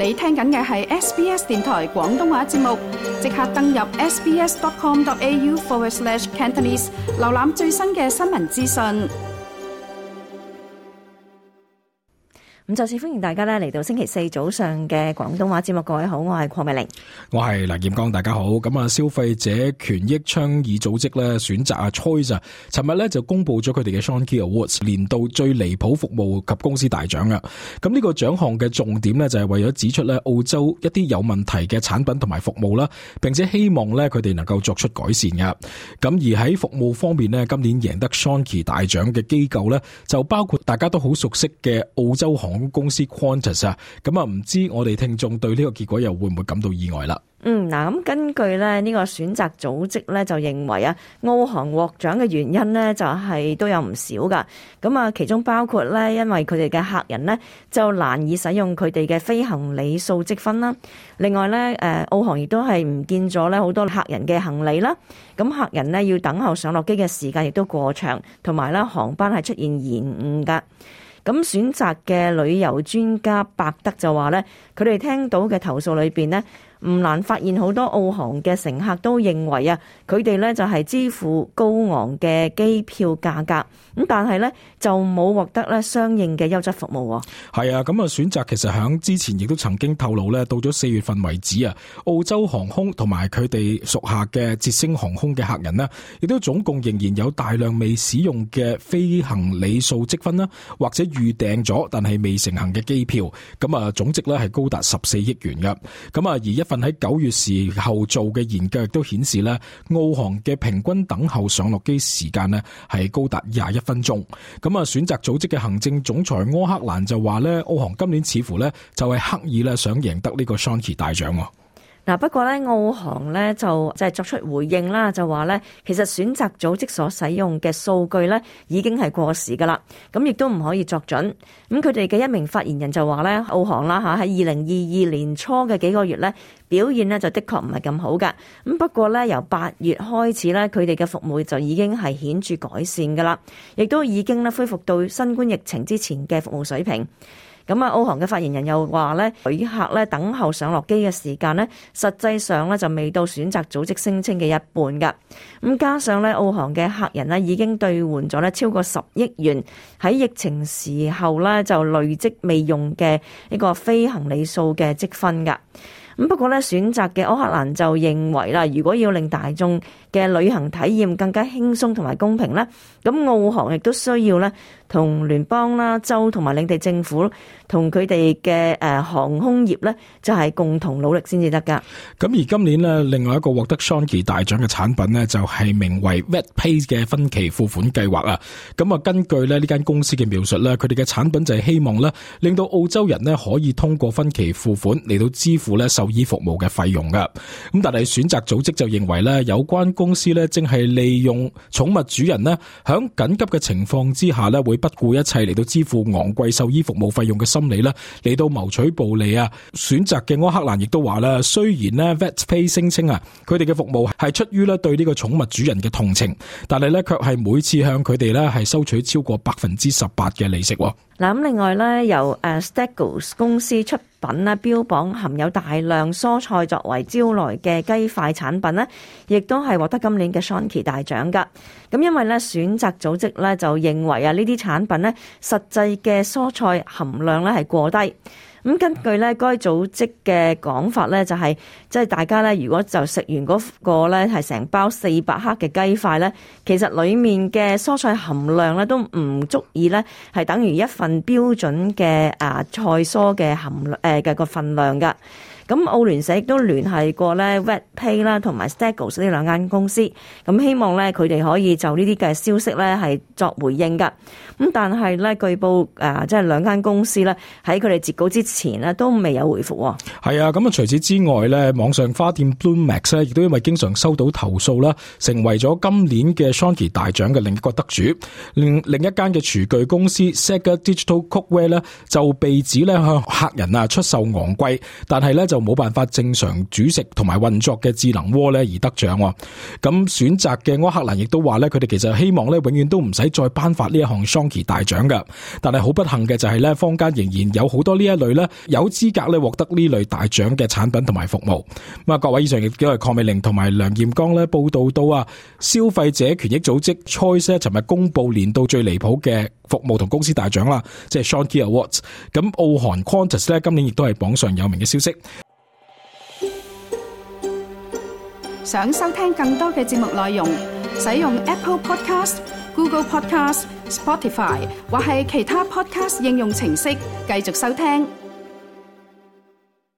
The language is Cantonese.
你聽緊嘅係 SBS 電台廣東話節目，即刻登入 sbs.com.au/Cantonese 瀏覽最新嘅新聞資訊。咁再次歡迎大家嚟到星期四早上嘅廣東話節目。各位好，我係鄺美玲，我係梁劍剛，大家好。咁啊，消費者權益倡議組織咧選擇Choice尋日咧就公布咗佢哋嘅 Shonky Awards 年度最離譜服務及公司大獎啊。咁呢個獎項嘅重點咧就係為咗指出咧澳洲一啲有問題嘅產品同埋服務啦，並且希望咧佢哋能夠作出改善嘅。咁而喺服務方面咧，今年贏得 Shonky 大獎嘅機構咧就包括大家都好熟悉嘅澳洲航空公司 Qantas 啊。咁啊，唔知我哋聽眾對呢個結果又會唔會感到意外啦？咁根據咧呢個選擇組織咧就認為啊，澳航獲獎嘅原因咧就係都有唔少噶。咁啊，其中包括咧，因為佢哋嘅客人咧就難以使用佢哋嘅飛行李數積分啦。另外咧，澳航亦都係唔見咗咧好多客人嘅行李啦。咁客人咧要等候上落機嘅時間亦都過長，同埋咧航班係出現延誤噶。咁選擇嘅旅遊專家伯德就話咧，佢哋聽到嘅投訴裏邊呢，唔難發現好多澳航嘅乘客都認為啊，佢哋咧就係支付高昂嘅機票價格，咁但係咧就冇獲得咧相應嘅優質服務。係啊，咁啊選擇其實響之前亦都曾經透露咧，到咗4月份為止啊，澳洲航空同埋佢哋屬下嘅捷星航空嘅客人呢，亦都總共仍然有大量未使用嘅飛行里數積分啦，或者預訂咗但係未成行嘅機票，咁啊總值咧係高達14億元嘅。咁啊而一份喺9月時候做嘅研究亦都顯示咧，澳航嘅平均等候上落機時間呢係高達21分鐘。咁啊選擇組織嘅行政總裁柯克蘭就話咧，澳航今年似乎咧就係刻意咧想贏得呢個 Shonky 大獎。不過咧，澳航咧就作出回應啦，就話咧，其實選擇組織所使用嘅數據咧已經係過時噶啦，咁亦都唔可以作準。咁佢哋嘅一名發言人就話咧，澳航啦喺2022年初嘅幾個月咧表現咧就的確唔係咁好噶。咁不過咧由8月開始咧，佢哋嘅服務就已經係顯著改善噶啦，亦都已經咧恢復到新冠疫情之前嘅服務水平。咁啊，澳航嘅發言人又話咧，旅客咧等候上落機嘅時間咧，實際上咧就未到選擇組織聲稱嘅一半噶。咁加上咧，澳航嘅客人咧已經兌換咗咧超過10億元喺疫情時候咧就累積未用嘅呢個飛行里數嘅積分噶。咁不過咧，選擇嘅柯克蘭就認為啦，如果要令大眾嘅旅行體驗更加輕鬆同埋公平咧，咁澳航亦都需要咧同聯邦啦、州同埋領地政府同佢哋嘅航空業咧，就係共同努力先至得噶。咁而今年呢，另外一個獲得 Shonky 大獎嘅產品呢，就係名為 VetPay 嘅分期付款計劃啊。咁啊，根據咧呢間公司嘅描述咧，佢哋嘅產品就係希望咧令到澳洲人呢可以通過分期付款嚟到支付咧獸醫服務嘅費用噶。咁但係選擇組織就認為咧，有關公司咧正係利用寵物主人呢響緊急嘅情況之下咧會不顧一切嚟到支付昂貴獸醫服務費用嘅心理咧嚟到謀取暴利啊。選擇嘅柯克蘭亦都話啦，雖然咧 VetPay 聲稱啊，佢哋嘅服務係出於咧對呢個寵物主人嘅同情，但係咧卻係每次向佢哋咧係收取超過18%嘅利息。咁另外咧，由Steggles 公司出品咧，標榜含有大量蔬菜作為招來嘅雞塊產品咧，亦都係獲得今年嘅 Shonky 大獎噶。咁因為咧選擇組織咧就認為啊，呢啲產品咧實際嘅蔬菜含量咧係過低。咁根據咧該組織嘅講法咧，就係即係大家咧，如果就食完嗰個咧係成包400克嘅雞塊咧，其實裡面嘅蔬菜含量咧都唔足以咧係等於一份標準嘅菜蔬嘅含量嘅個份量噶。咁澳聯社亦都聯繫過咧 VetPay 啦同埋 Steggles 呢兩間公司，咁希望咧佢哋可以就呢啲嘅消息咧係作回應噶。咁但係咧據報即係兩間公司咧喺佢哋截稿之前咧都未有回覆。係啊，咁啊除此之外咧，網上花店 Bloommax 咧亦都因為經常收到投訴啦，成為咗今年嘅 Shonky 大獎嘅另一個得主。另一間嘅廚具公司 Sega Digital Cookware 咧就被指咧向客人出售昂貴，但係咧就就冇辦法正常煮食同埋運作嘅智能鍋咧而得獎。咁選擇嘅柯克蘭亦都話咧，佢哋其實希望咧永遠都唔使再頒發呢一項 Shonky 大獎嘅。但係好不幸嘅就係咧，坊間仍然有好多呢一類咧有資格咧獲得呢類大獎嘅產品同埋服務。咁啊，各位，以上亦都係鄺美玲同埋梁彥剛咧報道到啊，消費者權益組織 Choice 咧尋日公布年度最離譜嘅服務同公司大獎啦，即係 Shonky Awards。咁澳韓 Qantas 咧今年亦都係榜上有名嘅消息。想收聽更多嘅節目內容，使用 Apple Podcast、Google Podcast、Spotify 或係其他 Podcast 應用程式繼續收聽。